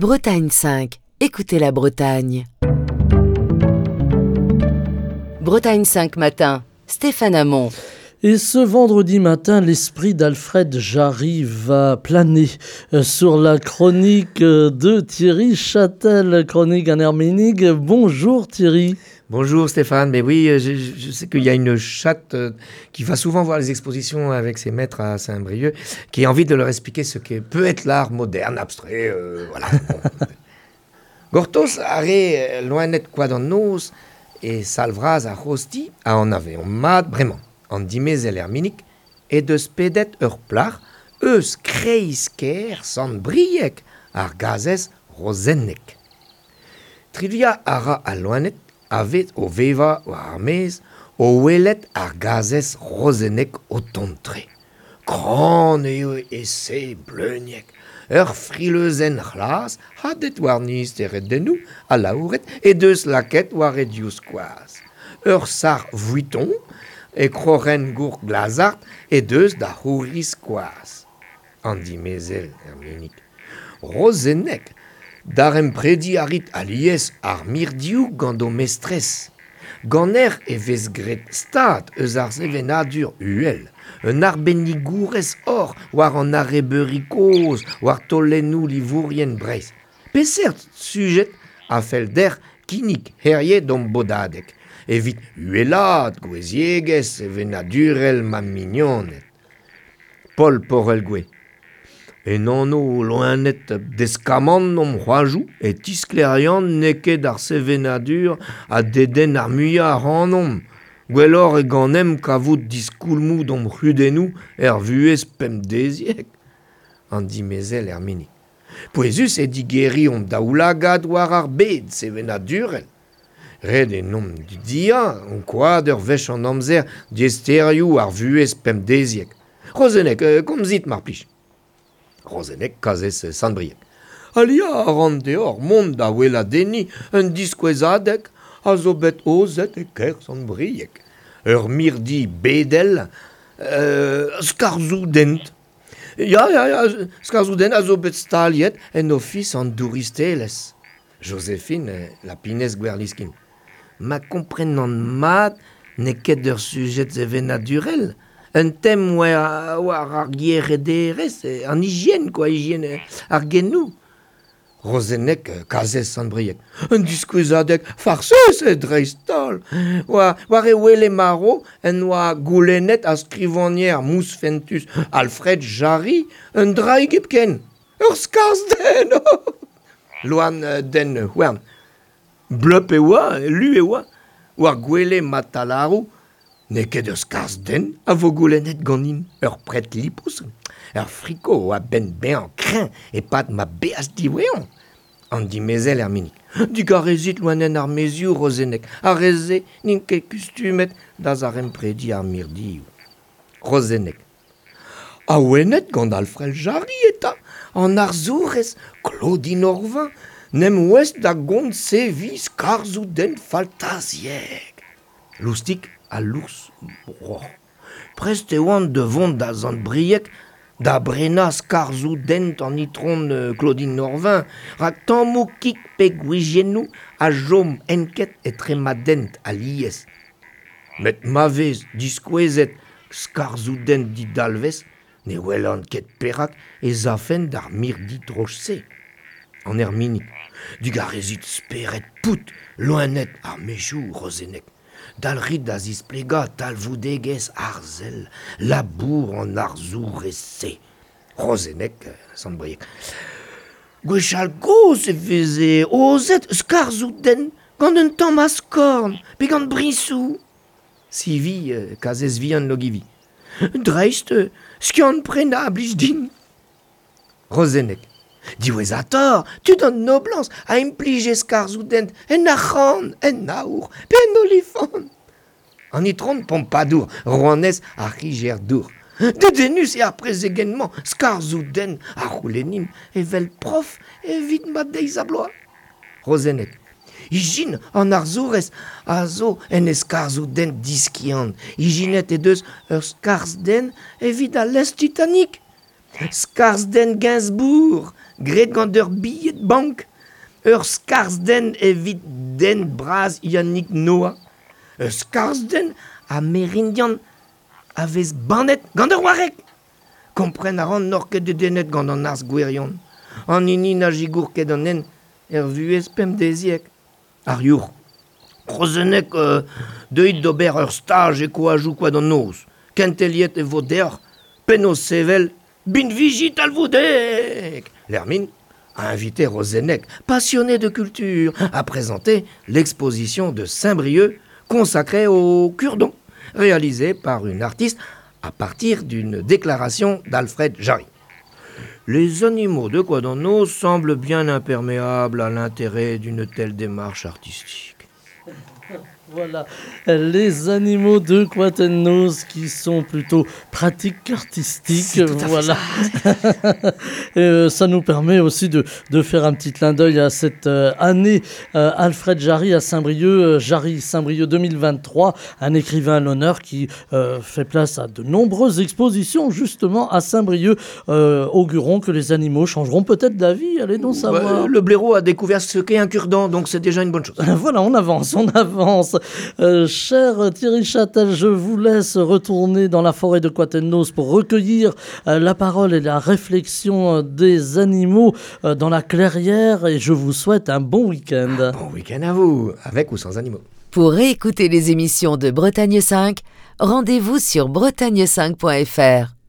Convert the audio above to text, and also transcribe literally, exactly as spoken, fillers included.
Bretagne cinq, écoutez la Bretagne. Bretagne cinq matin, Stéphane Hamon. Et ce vendredi matin, l'esprit d'Alfred Jarry va planer sur la chronique de Thierry Châtel, chronique en Herménique. Bonjour Thierry. Bonjour Stéphane, mais oui, je, je sais qu'il y a une chatte qui va souvent voir les expositions avec ses maîtres à Saint-Brieuc, qui a envie de leur expliquer ce que peut être l'art moderne, abstrait, euh, voilà. Bon. Gortoz are loenet koad an noz e salvraz ar c'hozhti a anaveomp mat bremañ. An dimezell Erminig e deus pedet ur plac'h eus kreiz-kêr Sant-Brieg ar gazez Rozennek. Trivia a ra al loened a vez o vevañ war ar maez o welet ar gazez Rozennek o tont-tre. Kran eo e se bleuniek, ur frileuzenn c'hlas hadet warni steredennoù ha laouret e deus lakaet war e divskoaz. Ur sac'h Vuitton e kroc'hen gour glazard e deus da c'houriz koaz. An dimezell Erminig. Rozennek, daremprediñ a rit alies ar mirdioù gant ho mestrez. Ganer e vez graet stad eus ar sevenadur uhel, un arbennigourez hor war an arrebeuri kozh, war taolennoù livourien Breizh. Peseurt sujet a fell deoc'h kinnig herie d'hon bodadeg, evit uhelaat goueziegezh sevenadurel ma mignoned. Paul Porelgwe. En anv loened deskamant omp c'hoazoù e tisklerian n'eo ket ar sevenadur a dedenn ar muiañ ac'hanomp. Gwelloc'h eo ganemp kavout diskoulmoù d'hom c'hudennoù er vuhez pemdeziek. An dimezell Erminig. Pouezus eo digeriñ hon daoulagad war ar bed sevenadurel. Ret eo n'omp dudiañ ankouaat ur wech an amzer diaesterioù ar vuhez pemdeziek. Rozennek, komzit mar plij. Rozennek kazez Sant-Brieg. Aliañ a ran deoc'h mont da weladenniñ un diskouezadeg a zo bet aozet e kêr Sant-Brieg. Ur mirdi bedel, euh, skarzhoù-dent. Ya, ya, ya, skarzhoù-dent a zo bet staliet en ofis an douristelezh. Joséphine Lapinez Gwerliskin. Ma komprenan mat n'eo ket ur sujet sevenadurel. Un tem war, war ar gierederezh, an hygiène, quoi, hygiène ar genoù. Rozennek, kazez Sant-Brieg. Un diskouezadeg farsus e dreist-holl. War, war e wele maro en oa goulennet a skrivagner mousfentus Alfred Jarry un draig hepken. Ur skarzh-den. Loan den houarn. Bleup e oa, lu e oa. War gwele matalaroù, n'eo ket ur skarzh-den a vo goulennet ganin ur pred lipous. Ur friko a benn bezañ kreñv e-pad ma beaj diwezhañ. An dimezell Erminig. Digarezit loened ar maezioù Rozennek, ar re-se n'int ket kustumet da zaremprediñ ar mirdioù. Rozennek. Awenet gant Alfred Jarry eta, an arzourez Claudine Orvin, n'em ouest da gont sevi skarzhoù-den faltaziek. Loustik ha Lours Broc'h. Prest e oant da vont da Sant-Brieg da brenañ skarzhoù-dent an itron Claudine Norvin, rak tammoù kig pe gwiziennoù a chom enket etre ma dent alies. Met ma vez diskouezet skarzhoù-dent didalvez, ne welan ket perak ez afen d'ar mirdi droch-se. An Erminig. Digarezit spered pout, loened ar maezioù Rozennek. Dalc'hit da zisplegañ talvoudegezh arzel, labour an arzourez-se. Rozennek, Sant-Brieg. Gwechall gozh e veze aozet skarzhoù-den gant un tamm askorn pe gant briñsoù. Sivi, kazez vihan Logivi. Dreist, skiant-prenañ a blij din. Rozennek. Diwezhatoc'h, tud an noblañs a implije skarzhoù-dent en arc'hant, en aour, pe en olifant. An itron Pompadour, rouanez ar c'higer-dour. Dedennus eo ar prezegenn-mañ, skarzhoù-dent a c'houlennin evel prof evit ma deiz-ha-bloaz. Rozennek. Ijin an arzourez a zo en e skarzhoù-dent diskiant. Ijinet he deus ur skarzh-dent evit al lestr Titanic. Skarzhden Gainsbourg, graet gant ur bilhed bank. Ur skarzhden evit den bras Yannick Noah. Ur skarzhden amerindian a vez bannet gant ur wareg. Kompren a ran n'oc'h ket dedennet gant an arz gwirion. An hini na gigour ket an en er vuhez pemdeziek. Ar your. Rozenek euh, deuit d'ober ur staj e koajoù koad an noz. Kenteliet e vo deoc'h, penaos sevel, binviji talvoudek. L'Hermine a invité Rozenec, passionné de culture, à présenter l'exposition de Saint-Brieuc consacrée au cure-dent, réalisée par une artiste à partir d'une déclaration d'Alfred Jarry. Les animaux de Koad an Noz semblent bien imperméables à l'intérêt d'une telle démarche artistique. Voilà, les animaux de Koad an Noz qui sont plutôt pratiques qu'artistiques. Voilà. Et, euh, ça nous permet aussi de, de faire un petit clin d'œil à cette euh, année euh, Alfred Jarry à Saint-Brieuc, euh, Jarry Saint-Brieuc deux mille vingt-trois, un écrivain à l'honneur qui, euh, fait place à de nombreuses expositions justement à Saint-Brieuc. Euh, augurons que les animaux changeront peut-être d'avis, allez donc savoir. Bah, le blaireau a découvert ce qu'est un cure-dent, donc c'est déjà une bonne chose. Voilà, on avance, on avance. Euh, cher Thierry Châtel, je vous laisse retourner dans la forêt de Koad an Noz pour recueillir, euh, la parole et la réflexion, euh, des animaux, euh, dans la clairière, et je vous souhaite un bon week-end. Un bon week-end à vous, avec ou sans animaux. Pour réécouter les émissions de Bretagne cinq, rendez-vous sur bretagne cinq point F R.